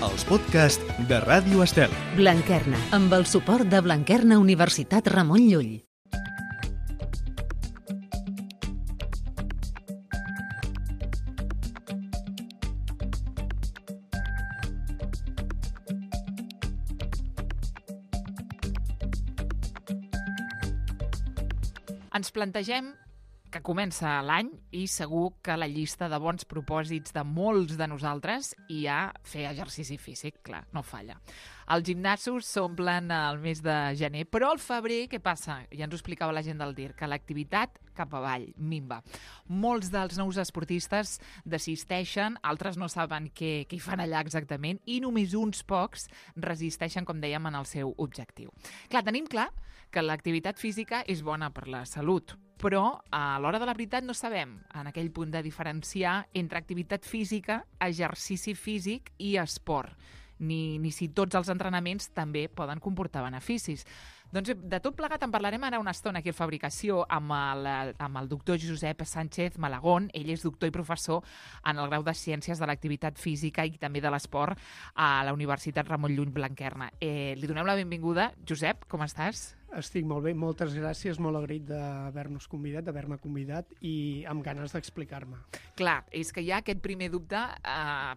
els podcasts de Ràdio Estel. Blanquerna, amb el suport de Blanquerna Universitat Ramon Llull. Ens plantegem que comença l'any i segur que la llista de bons propòsits de molts de nosaltres hi ha fer exercici físic, clar, no falla. Els gimnasos s'omplen al mes de gener, però al febrer què passa? Ja ens ho explicava la gent del DIR, que l'activitat cap avall, minva. Molts dels nous esportistes desisteixen, altres no saben què hi fan allà exactament i només uns pocs resisteixen, com dèiem, en el seu objectiu. Clar, tenim clar que l'activitat física és bona per la salut, però a l'hora de la veritat no sabem en aquell punt de diferenciar entre activitat física, exercici físic i esport, ni si tots els entrenaments també poden comportar beneficis. Doncs de tot plegat en parlarem ara una estona aquí a Fabricació amb el doctor Josep Sánchez Malagón. Ell és doctor i professor en el grau de Ciències de l'Activitat Física i també de l'Esport a la Universitat Ramon Llull Blanquerna. Li donem la benvinguda. Josep, com estàs? Estic molt bé, moltes gràcies, molt agraït d'haver-me convidat i amb ganes d'explicar-me. Clar, és que hi ha aquest primer dubte,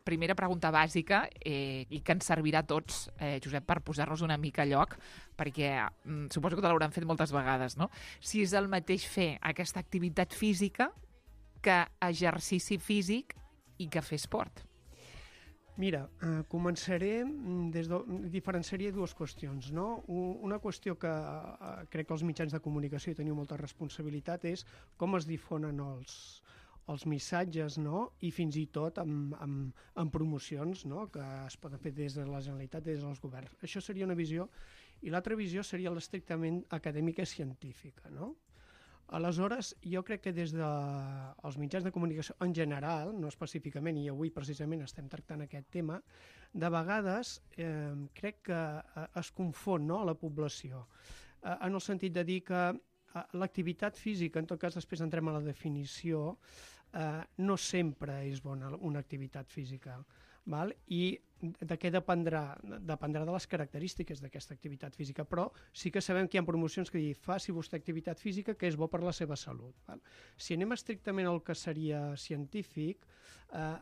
primera pregunta bàsica, i que ens servirà a tots, Josep, per posar-nos una mica a lloc, perquè suposo que te l'hauran fet moltes vegades, no? Si és el mateix fer aquesta activitat física que exercici físic i que fer esport. Mira, començaré diferenciaria dues qüestions, no? Una qüestió que crec que els mitjans de comunicació hi teniu molta responsabilitat és com es difonen els missatges, no? I fins i tot amb promocions, no? Que es poden fer des de la Generalitat, des dels governs. Això seria una visió, i l'altra visió seria l'estrictament acadèmica i científica, no? Aleshores, jo crec que des dels mitjans de comunicació en general, no específicament, i avui precisament estem tractant aquest tema, de vegades crec que es confon, no, a la població, en el sentit de dir que l'activitat física, en tot cas després entrem a la definició, no sempre és bona una activitat física, val? I de què dependrà? Dependrà de les característiques d'aquesta activitat física, però sí que sabem que hi ha promocions que diuen faci vostè activitat física que és bo per la seva salut. Val? Si anem estrictament al que seria científic,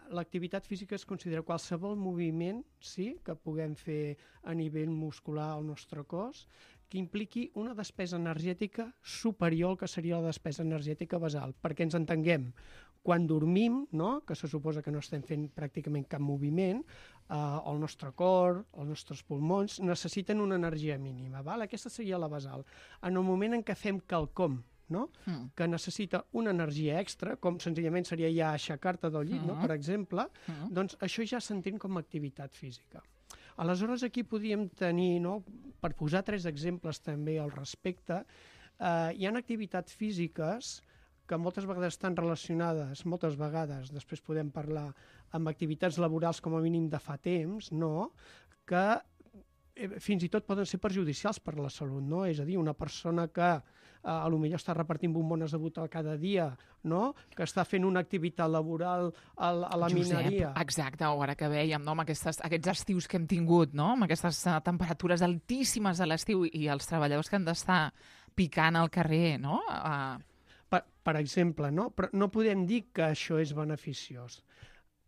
l'activitat física es considera qualsevol moviment que puguem fer a nivell muscular al nostre cos que impliqui una despesa energètica superior al que seria la despesa energètica basal, perquè ens entenguem. Quan dormim, no? Que se suposa que no estem fent pràcticament cap moviment, el nostre cor, els nostres pulmons necessiten una energia mínima. Val? Aquesta seria la basal. En el moment en què fem quelcom, no? Que necessita una energia extra, com senzillament seria ja aixecar-te del llit, no? Per exemple, doncs això ja s'entén com a activitat física. Aleshores aquí podríem tenir, no? Per posar 3 exemples també al respecte, hi ha activitats físiques que moltes vegades estan relacionades, moltes vegades, després podem parlar amb activitats laborals com a mínim de fa temps, no? Que fins i tot poden ser perjudicials per a la salut, no? És a dir, una persona que potser està repartint bombones de butà cada dia, no? Que està fent una activitat laboral a la mineria. Josep, exacte, ara que vèiem, no? Amb aquests estius que hem tingut, no? Amb aquestes temperatures altíssimes a l'estiu i els treballadors que han d'estar picant al carrer, no? Per exemple, no? Però no podem dir que això és beneficiós.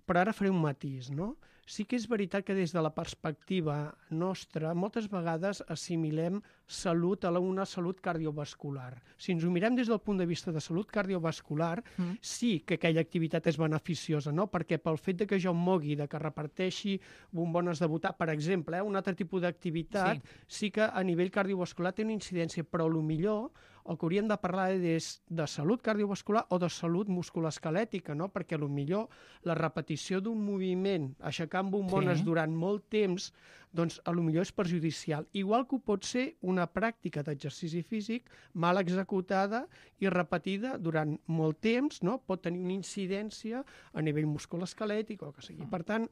Però ara faré un matís, no? Sí que és veritat que des de la perspectiva nostra moltes vegades assimilem salut a una salut cardiovascular. Si ens ho mirem des del punt de vista de salut cardiovascular, sí que aquella activitat és beneficiosa, no? Perquè pel fet de que jo em mogui, de que reparteixi bombones de butà, per exemple, un altre tipus d'activitat, sí que a nivell cardiovascular té una incidència, però millor el que hauríem de parlar és de salut cardiovascular o de salut musculoesquelètica, no? Perquè millor la repetició d'un moviment, aixecant bombones durant molt temps, doncs potser és perjudicial. Igual que ho pot ser una pràctica d'exercici físic mal executada i repetida durant molt temps, no? Pot tenir una incidència a nivell musculoesquelètic o el que sigui. Per tant,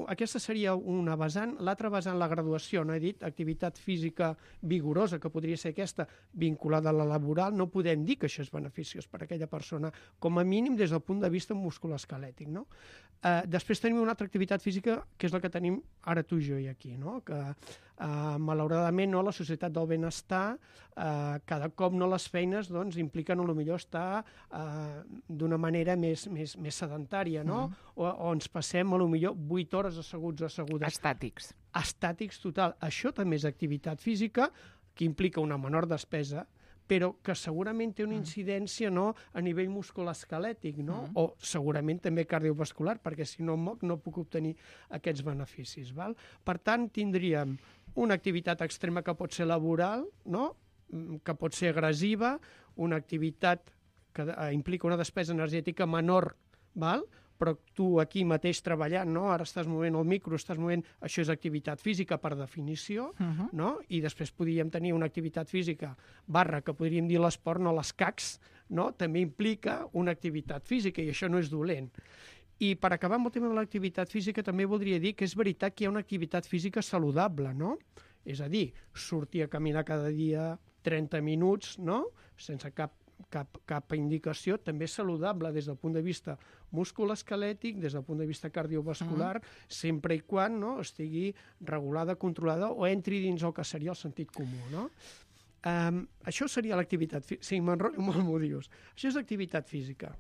aquesta seria una vessant. L'altra vessant, la graduació, no he dit, activitat física vigorosa, que podria ser aquesta vinculada a la laboral, no podem dir que això és beneficiós per a aquella persona, com a mínim des del punt de vista musculoesquelètic, no? Després tenim una altra activitat física, que és la que tenim ara tu i jo i aquí, no? Que malauradament la societat del benestar cada cop les feines doncs, impliquen potser estar d'una manera més sedentària, no? O ens passem potser 8 hores asseguts o assegudes. Estàtics. Estàtics total. Això també és activitat física que implica una menor despesa, però que segurament té una incidència a nivell musculoesquelètic, no? O segurament també cardiovascular, perquè si no em moc no puc obtenir aquests beneficis. Val? Per tant, tindríem una activitat extrema que pot ser laboral, no? Que pot ser agressiva, una activitat que implica una despesa energètica menor, val? Però tu aquí mateix treballant, no? Ara estàs movent el micro, això és activitat física per definició, no? I després podríem tenir una activitat física que podríem dir l'esport, no l'escacs, no? També implica una activitat física i això no és dolent. I per acabar amb el tema de l'activitat física també voldria dir que és veritat que hi ha una activitat física saludable, no? És a dir, sortir a caminar cada dia 30 minuts, no? Sense cap indicació, també és saludable des del punt de vista musculoesquelètic, des del punt de vista cardiovascular, sempre i quan estigui regulada, controlada o entri dins el que seria el sentit comú, no? Això seria l'activitat física. Sí, m'enrotllo molt, m'ho dius. Això és activitat física.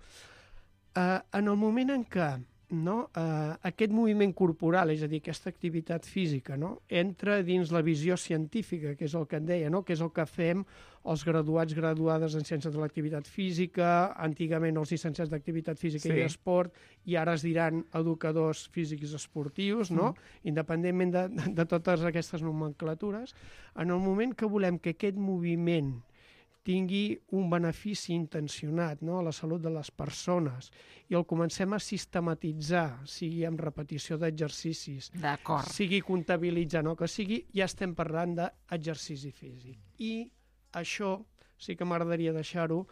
En el moment en què aquest moviment corporal, és a dir, aquesta activitat física, entra dins la visió científica, que és el que et deia, que és el que fem els graduats, graduades en ciències de l'activitat física, antigament els llicenciats d'activitat física i esport, i ara es diran educadors físics esportius, independentment de totes aquestes nomenclatures. En el moment que volem que aquest moviment tingui un benefici intencionat a la salut de les persones i el comencem a sistematitzar, sigui amb repetició d'exercicis, sigui comptabilitzant o que sigui, ja estem parlant d'exercici físic. I això sí que m'agradaria deixar-ho,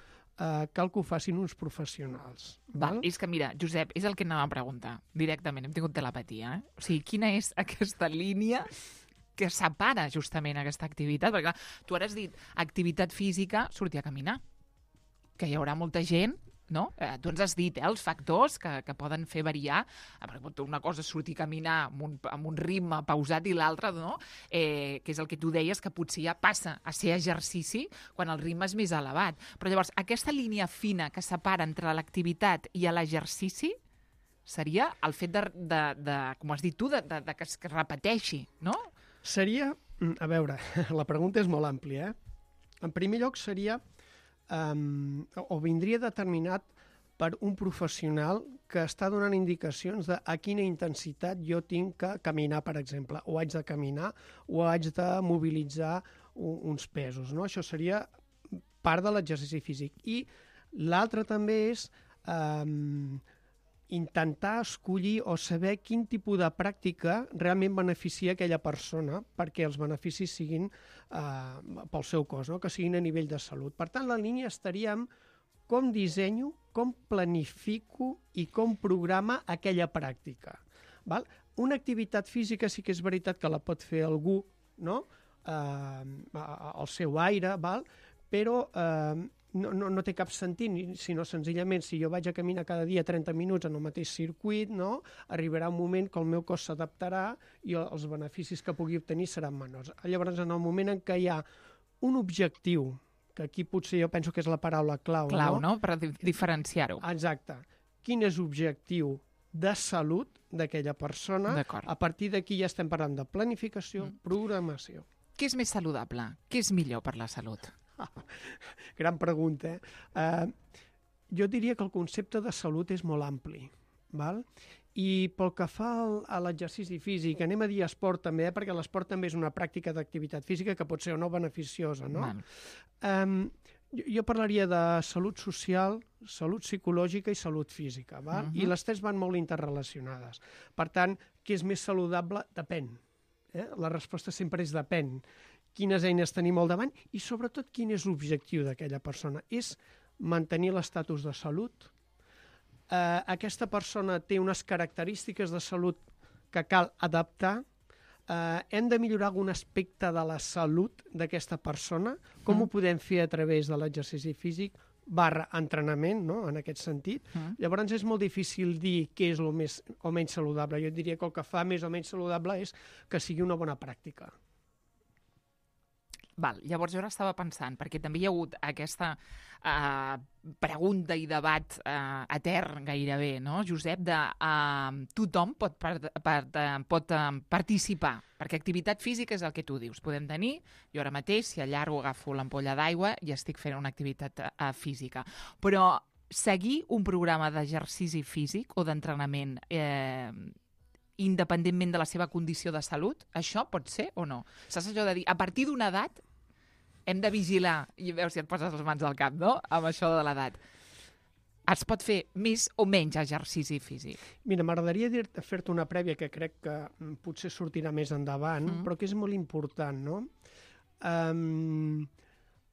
cal que ho facin uns professionals. És que, mira, Josep, és el que anava a preguntar directament, hem tingut telepatia. O sigui, quina és aquesta línia que separa justament aquesta activitat? Perquè, clar, tu ara has dit activitat física, sortir a caminar. Que hi haurà molta gent, no? Tu ens has dit els factors que poden fer variar. Una cosa és sortir a caminar amb un ritme pausat i l'altra, no? Que és el que tu deies, que potser ja passa a ser exercici quan el ritme és més elevat. Però llavors, aquesta línia fina que separa entre l'activitat i l'exercici seria el fet de com has dit tu, que es repeteixi, no? Seria, a veure, la pregunta és molt àmplia, En primer lloc seria, o vindria determinat per un professional que està donant indicacions de a quina intensitat jo tinc que caminar, per exemple, o haig de caminar, o haig de mobilitzar uns pesos, no? Això seria part de l'exercici físic. I l'altre també és intentar escollir o saber quin tipus de pràctica realment beneficia aquella persona perquè els beneficis siguin pel seu cos, no? Que siguin a nivell de salut. Per tant, la línia estaria en com dissenyo, com planifico i com programa aquella pràctica. Val? Una activitat física sí que és veritat que la pot fer algú, no? Al seu aire, val? Però no té cap sentit, sinó senzillament si jo vaig a caminar cada dia 30 minuts en el mateix circuit, no? Arribarà un moment que el meu cos s'adaptarà i els beneficis que pugui obtenir seran menors. Llavors, en el moment en què hi ha un objectiu, que aquí potser jo penso que és la paraula clau, no? Per diferenciar-ho. Exacte. Quin és l'objectiu de salut d'aquella persona? A partir d'aquí ja estem parlant de planificació, programació. Què és més saludable? Què és millor per la salut? Gran pregunta. Jo diria que el concepte de salut és molt ampli, val? I pel que fa a l'exercici físic, anem a dir esport també, perquè l'esport també és una pràctica d'activitat física que pot ser o no beneficiosa, no? Jo parlaria de salut social, salut psicològica i salut física, val? I les tres van molt interrelacionades. Per tant, què és més saludable? Depèn. La resposta sempre és depèn. Quines eines tenim al davant i, sobretot, quin és l'objectiu d'aquella persona. És mantenir l'estatus de salut. Aquesta persona té unes característiques de salut que cal adaptar. Hem de millorar algun aspecte de la salut d'aquesta persona. Com ho podem fer a través de l'exercici físic / entrenament, no? En aquest sentit. Llavors és molt difícil dir què és el més o menys saludable. Jo diria que el que fa més o menys saludable és que sigui una bona pràctica. Val, llavors jo ara estava pensant, perquè també hi ha hagut aquesta pregunta i debat etern gairebé, no, Josep, de tothom pot participar, perquè activitat física és el que tu dius. Podem tenir, jo ara mateix, si allargo, agafo l'ampolla d'aigua i estic fent una activitat física. Però seguir un programa d'exercici físic o d'entrenament independentment de la seva condició de salut, això pot ser o no? Saps allò de dir, a partir d'una edat hem de vigilar, i veus si et poses les mans al cap, no?, amb això de l'edat. Es pot fer més o menys exercici físic? Mira, m'agradaria fer-te una prèvia que crec que potser sortirà més endavant, però que és molt important, no?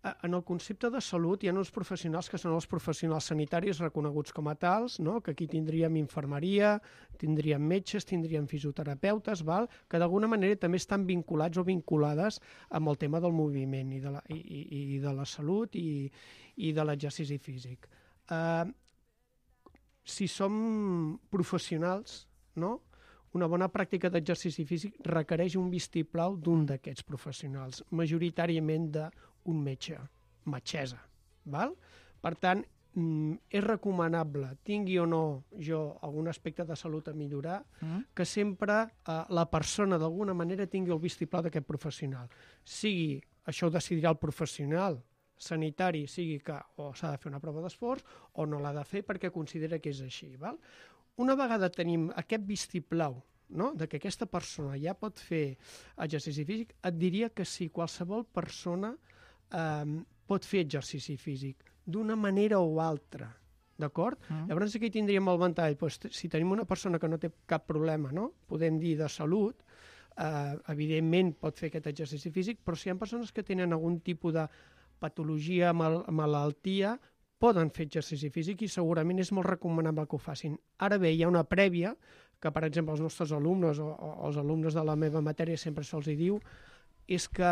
En el concepte de salut hi ha uns professionals que són els professionals sanitaris reconeguts com a tals, no? Que aquí tindríem infermeria, tindríem metges, tindríem fisioterapeutes, que d'alguna manera també estan vinculats o vinculades amb el tema del moviment i de la salut i de l'exercici físic. Si som professionals, no? Una bona pràctica d'exercici físic requereix un vistiplau d'un d'aquests professionals, majoritàriament d'un metge, metgessa. Per tant, és recomanable, tingui o no jo algun aspecte de salut a millorar, que sempre la persona d'alguna manera tingui el vistiplau d'aquest professional. Sigui, això ho decidirà el professional sanitari, sigui que o s'ha de fer una prova d'esforç o no l'ha de fer perquè considera que és així. Una vegada tenim aquest vistiplau, no?, de que aquesta persona ja pot fer exercici físic, et diria que sí, qualsevol persona pot fer exercici físic d'una manera o altra, d'acord? Llavors aquí tindríem el ventall. Si tenim una persona que no té cap problema, no?, podem dir de salut, evidentment pot fer aquest exercici físic, però si hi ha persones que tenen algun tipus de patologia, malaltia, poden fer exercici físic i segurament és molt recomanable que ho facin. Ara bé, hi ha una prèvia que, per exemple, els nostres alumnes o els alumnes de la meva matèria sempre se'ls diu, és que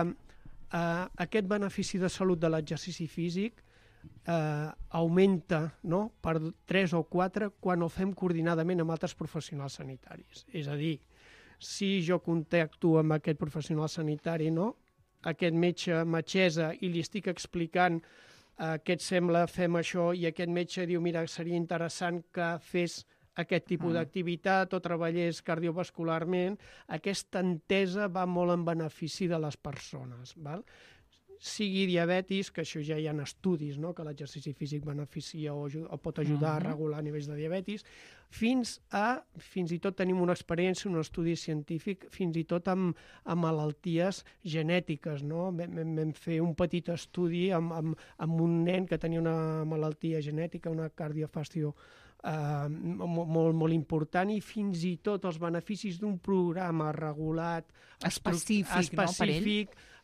aquest benefici de salut de l'exercici físic augmenta, no?, per 3 o 4 quan el fem coordinadament amb altres professionals sanitaris. És a dir, si jo contacto amb aquest professional sanitari, no?, aquest metgessa, i li estic explicant què et sembla, fem això, i aquest metge diu, mira, seria interessant que fes aquest tipus d'activitat o treballés cardiovascularment, aquesta entesa va molt en benefici de les persones. Sigui diabetis, que això ja hi ha estudis, no?, que l'exercici físic beneficia o pot ajudar a regular nivells de diabetis, fins i tot tenim una experiència, un estudi científic, fins i tot amb malalties genètiques, no? Vam fer un petit estudi amb un nen que tenia una malaltia genètica, una cardiofàstio molt important, i fins i tot els beneficis d'un programa regulat específic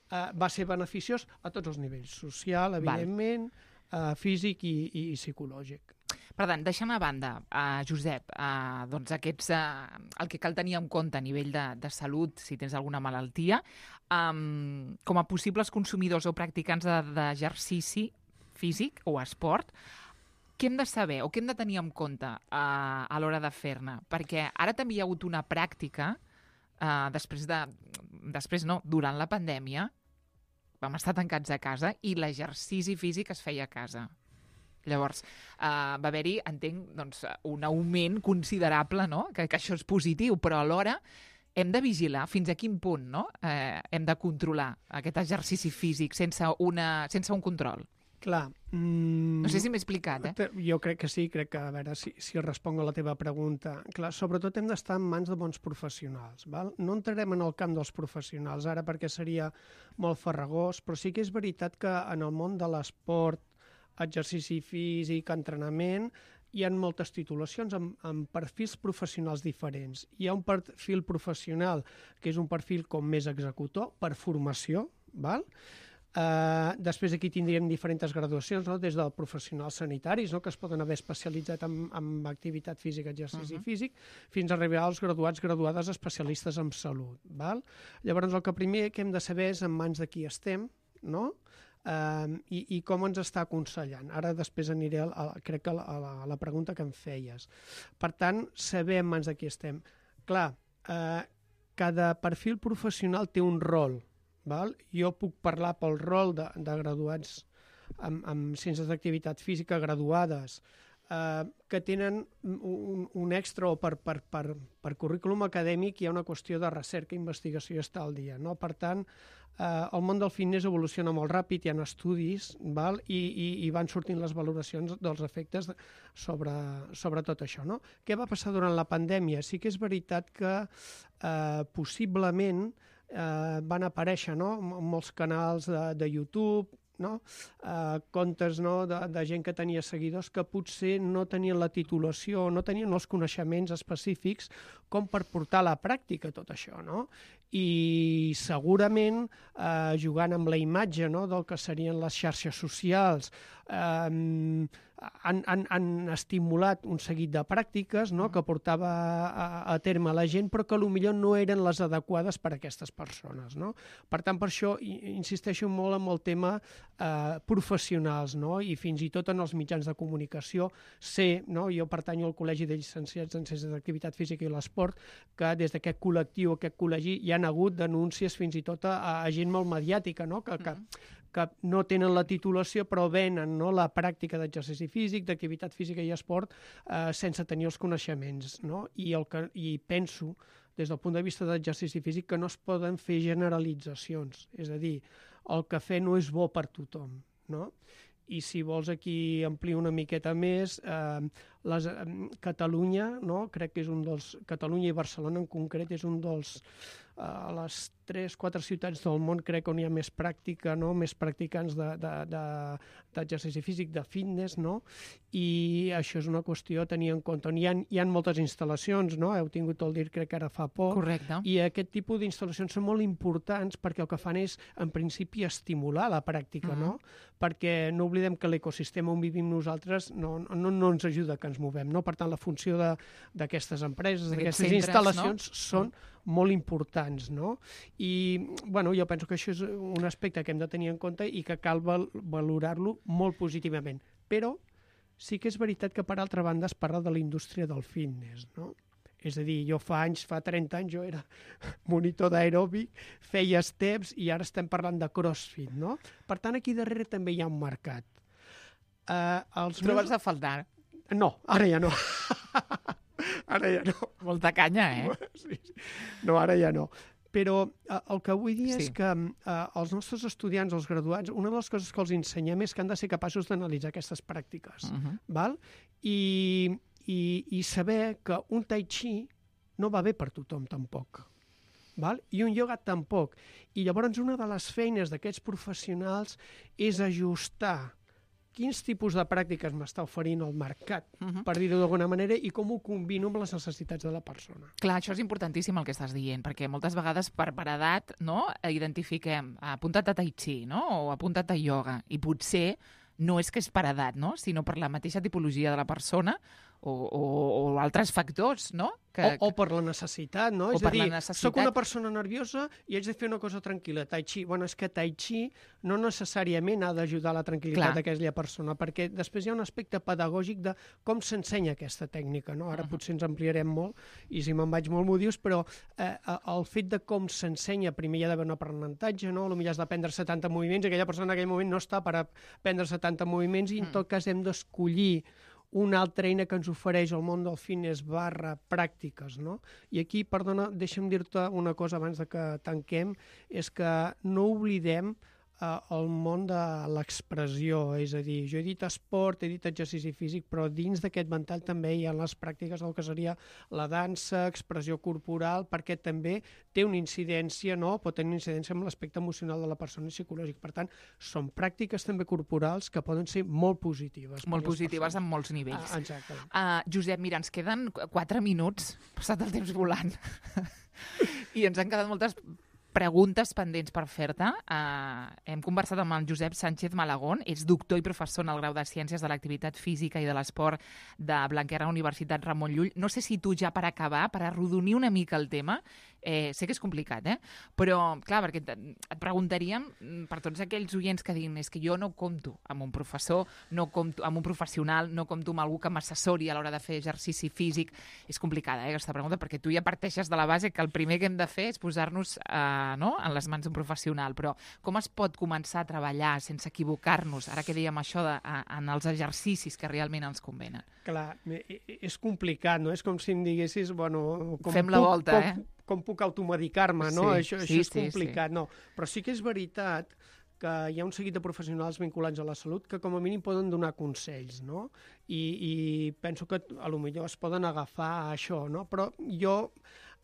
va ser beneficiós a tots els nivells, social, evidentment, físic i psicològic. Per tant, deixant a banda, Josep, doncs el que cal tenir en compte a nivell de salut, si tens alguna malaltia, com a possibles consumidors o practicants d'exercici físic o esport, què hem de saber o què hem de tenir en compte a l'hora de fer-ne? Perquè ara també hi ha hagut una pràctica, durant la pandèmia, vam estar tancats a casa i l'exercici físic es feia a casa. Llavors, va haver-hi, entenc, doncs, un augment considerable, no?, que això és positiu, però alhora hem de vigilar fins a quin punt, no?, hem de controlar aquest exercici físic sense un control. Clar. No sé si m'he explicat, Jo crec que sí, crec que, a veure si responc a la teva pregunta. Clar, sobretot hem d'estar en mans de bons professionals. No entrarem en el camp dels professionals ara perquè seria molt farragós, però sí que és veritat que en el món de l'esport, exercici físic, entrenament, hi ha moltes titulacions amb perfils professionals diferents. Hi ha un perfil professional que és un perfil com més executor, per formació, val? Després aquí tindríem diferents graduacions, no? Des dels professionals sanitaris, no? Que es poden haver especialitzat en activitat física, exercici físic, fins a arribar als graduades especialistes en salut. Val? Llavors el que primer que hem de saber és en mans de qui estem, no? I com ens està aconsellant. Ara després aniré crec que a la pregunta que em feies. Per tant, saber en mans de qui estem. Clar, cada perfil professional té un rol. Val? Jo puc parlar pel rol de graduats amb ciències d'activitat física graduades que tenen un extra o per currículum acadèmic hi ha una qüestió de recerca i investigació i està al dia. No? Per tant, el món del fitness evoluciona molt ràpid, hi ha estudis, val? I van sortint les valoracions dels efectes sobre tot això. No? Què va passar durant la pandèmia? Sí que és veritat que possiblement van aparèixer, no? Molts canals de YouTube, no? Comptes, no? de gent que tenia seguidors que potser no tenien la titulació, no tenien els coneixements específics com per portar a la pràctica tot això, no? I segurament jugant amb la imatge, no? Del que serien les xarxes socials, han estimulat un seguit de pràctiques, no? Que portava a terme la gent, però que potser no eren les adequades per a aquestes persones. No? Per tant, per això insisteixo molt en el tema professionals, no? I fins i tot en els mitjans de comunicació. Sé, no? Jo pertanyo al Col·legi de Llicenciats en Ciències d'Activitat Física i l'Esport, que des d'aquest col·lectiu, aquest col·legi, hi ha hagut denúncies fins i tot a gent molt mediàtica, no? Que no tenen la titulació però venen, no? La pràctica d'exercici físic, d'activitat física i esport sense tenir els coneixements. No? I penso, des del punt de vista d'exercici físic, que no es poden fer generalitzacions. És a dir, el cafè no és bo per tothom. No? I si vols aquí ampliar una miqueta més, Catalunya, no? Crec que és un dels... Catalunya i Barcelona en concret és un dels... a les 3-4 ciutats del món crec on hi ha més pràctica, no? Més practicants d'exercici físic, de fitness, no? I això és una qüestió a tenir en compte. Hi ha moltes instal·lacions, no? Heu tingut el DIR crec que ara fa poc. Correcte. I aquest tipus d'instal·lacions són molt importants perquè el que fan és, en principi, estimular la pràctica, no? Perquè no oblidem que l'ecosistema on vivim nosaltres no ens ajuda que ens movem, no? Per tant, la funció d'aquestes empreses, d'aquestes instal·lacions, no? Són molt importants, no? I, bueno, jo penso que això és un aspecte que hem de tenir en compte i que cal valorar-lo molt positivament. Però sí que és veritat que, per altra banda, es parla de la indústria del fitness, no? És a dir, jo fa 30 anys, jo era monitor d'aeròbic, feia steps i ara estem parlant de crossfit, no? Per tant, aquí darrere també hi ha un mercat. Trobes a faltar? No, ara ja no. Ara ja no. Molta canya, Sí. No, ara ja no. Però el que vull dir és que els nostres estudiants, els graduats, una de les coses que els ensenyem és que han de ser capaços d'analitzar aquestes pràctiques. Val? I saber que un tai chi no va bé per tothom tampoc. Val? I un ioga tampoc. I llavors una de les feines d'aquests professionals és ajustar quins tipus de pràctiques m'està oferint el mercat, per dir-ho d'alguna manera, i com ho combino amb les necessitats de la persona. Clar, això és importantíssim el que estàs dient, perquè moltes vegades per edat, no, identifiquem apuntat a tai chi, no? O apuntat a ioga, i potser no és que és per edat, no? Sinó per la mateixa tipologia de la persona o altres factors, no? O per la necessitat, no? És a dir, soc una persona nerviosa i haig de fer una cosa tranquil·la. Tai chi, bueno, és que tai chi no necessàriament ha d'ajudar la tranquil·litat d'aquella persona, perquè després hi ha un aspecte pedagògic de com s'ensenya aquesta tècnica, no? Ara potser ens ampliarem molt, i si me'n vaig molt m'ho dius, però el fet de com s'ensenya, primer hi ha d'haver un aprenentatge, no? Potser has d'aprendre 70 moviments, i aquella persona en aquell moment no està per aprendre 70 moviments, i en tot cas hem d'escollir una altra eina que ens ofereix el món del fitness / pràctiques, no? I aquí, perdona, deixa'm dir-te una cosa abans de que tanquem, és que no oblidem el món de l'expressió, és a dir, jo he dit esport, he dit exercici físic, però dins d'aquest ventall també hi ha les pràctiques del que seria la dansa, expressió corporal, perquè també té una incidència, no? Pot tenir una incidència amb l'aspecte emocional de la persona i psicològic. Per tant, són pràctiques també corporals que poden ser molt positives. Molt positives en molts nivells. Exacte. Josep, mira, ens queden 4 minuts, passat el temps volant, i ens han quedat moltes preguntes pendents per fer-te. Hem conversat amb el Josep Sánchez Malagón, és doctor i professor en el grau de Ciències de l'Activitat Física i de l'Esport de Blanquerna Universitat Ramon Llull. No sé si tu ja per acabar, per arrodonir una mica el tema, sé que és complicat, però clar, perquè et preguntaríem per tots aquells oients que diguin és que jo no compto amb un professor, no compto amb un professional, no compto amb algú que m'assessori a l'hora de fer exercici físic. És complicada, aquesta pregunta, perquè tu ja parteixes de la base que el primer que hem de fer és posar-nos en les mans d'un professional, però com es pot començar a treballar sense equivocar-nos, ara que dèiem això en els exercicis que realment ens convenen? Clar, és complicat, no? És com si em diguessis, bueno... Fem la volta, com puc automedicar-me, no? Sí, això és complicat, no. Però sí que és veritat que hi ha un seguit de professionals vinculats a la salut que com a mínim poden donar consells, no? I penso que potser es poden agafar a això, no? Però jo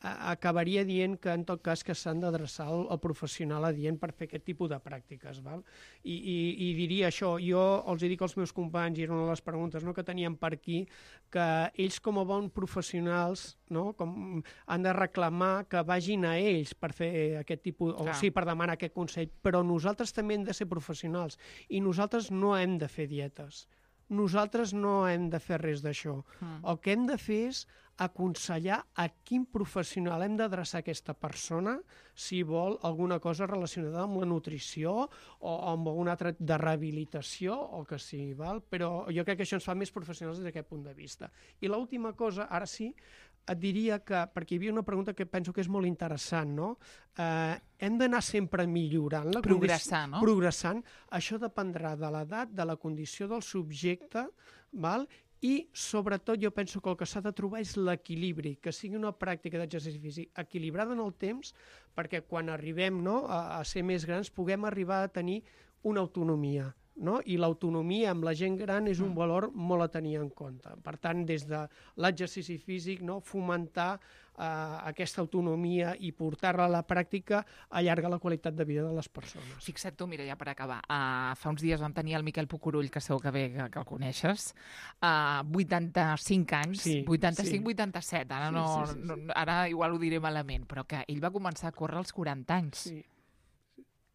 acabaria dient que en tot cas que s'han d'adreçar al professional adient per fer aquest tipus de pràctiques, val? I diria això, jo els dic als meus companys, i era una de les preguntes que teníem per aquí, que ells com a bons professionals han de reclamar que vagin a ells per fer aquest tipus, o sí, per demanar aquest consell, però nosaltres també hem de ser professionals i nosaltres no hem de fer dietes. Nosaltres no hem de fer res d'això. El que hem de fer és aconsellar a quin professional hem d'adreçar aquesta persona si vol alguna cosa relacionada amb la nutrició o amb alguna altra de rehabilitació o que sí, val? Però jo crec que això ens fa més professionals des d'aquest punt de vista. I l'última cosa, ara sí, et diria que, perquè hi havia una pregunta que penso que és molt interessant, no? Hem d'anar sempre millorant. Progressar, no? Progressant. Això dependrà de l'edat, de la condició del subjecte, val? I, sobretot, jo penso que el que s'ha de trobar és l'equilibri, que sigui una pràctica d'exercici físic equilibrada en el temps, perquè quan arribem a ser més grans puguem arribar a tenir una autonomia. No? I l'autonomia amb la gent gran és un valor molt a tenir en compte. Per tant, des de l'exercici físic, fomentar aquesta autonomia i portar-la a la pràctica allarga la qualitat de vida de les persones. Fixa't tu, mira, ja per acabar. Fa uns dies vam tenir el Miquel Pucurull, que segur que bé que el coneixes, 85 anys, sí, 85-87, ara igual ho diré malament, però que ell va començar a córrer als 40 anys. Sí.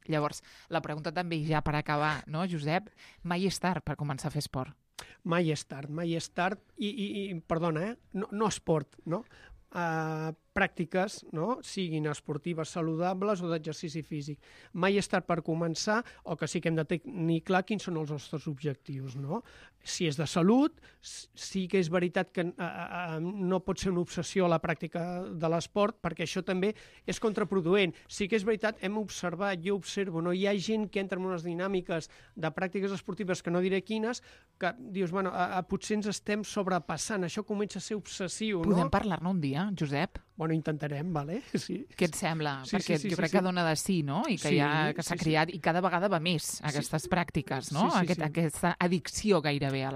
Llavors, la pregunta també ja per acabar, no, Josep? Mai és tard per començar a fer esport? Mai és tard, perdona, no esport, no? Pràctiques, no? Siguin esportives saludables o d'exercici físic. Mai és tard per començar, o que sí que hem de tenir clar quins són els nostres objectius, no? Si és de salut, sí que és veritat que no pot ser una obsessió la pràctica de l'esport, perquè això també és contraproduent. Sí que és veritat, hem observat, jo observo, no? Hi ha gent que entra en unes dinàmiques de pràctiques esportives que no diré quines, que dius, bueno, potser ens estem sobrepassant, això comença a ser obsessiu, no? Podem parlar-ne un dia, Josep? Bueno, intentarem, vale? Sí. Què et sembla? Perquè jo crec que dona de sí, no? I que s'ha creat, i cada vegada va més aquestes pràctiques, no? Aquesta addicció gairebé a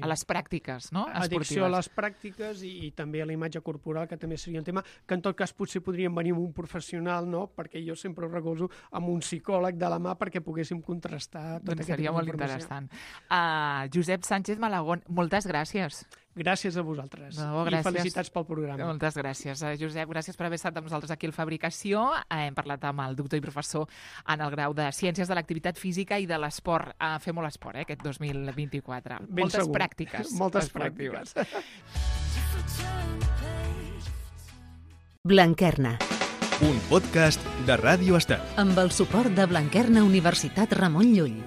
les pràctiques, no? Addicció a les pràctiques i també a la imatge corporal, que també seria un tema que en tot cas potser podríem venir amb un professional, no? Perquè jo sempre ho recolzo amb un psicòleg de la mà perquè poguéssim contrastar tot aquest seria molt interessant. Josep Sánchez Malagón, moltes gràcies. Gràcies a vosaltres. I felicitats pel programa. Moltes gràcies, Josep. Gràcies per haver estat amb nosaltres aquí al Fabricació. Hem parlat amb el doctor i professor en el grau de Ciències de l'Activitat Física i de l'Esport. Fer molt esport, aquest 2024. Moltes pràctiques. Moltes pràctiques. Blanquerna. Un podcast de Ràdio Estel. Amb el suport de Blanquerna Universitat Ramon Llull.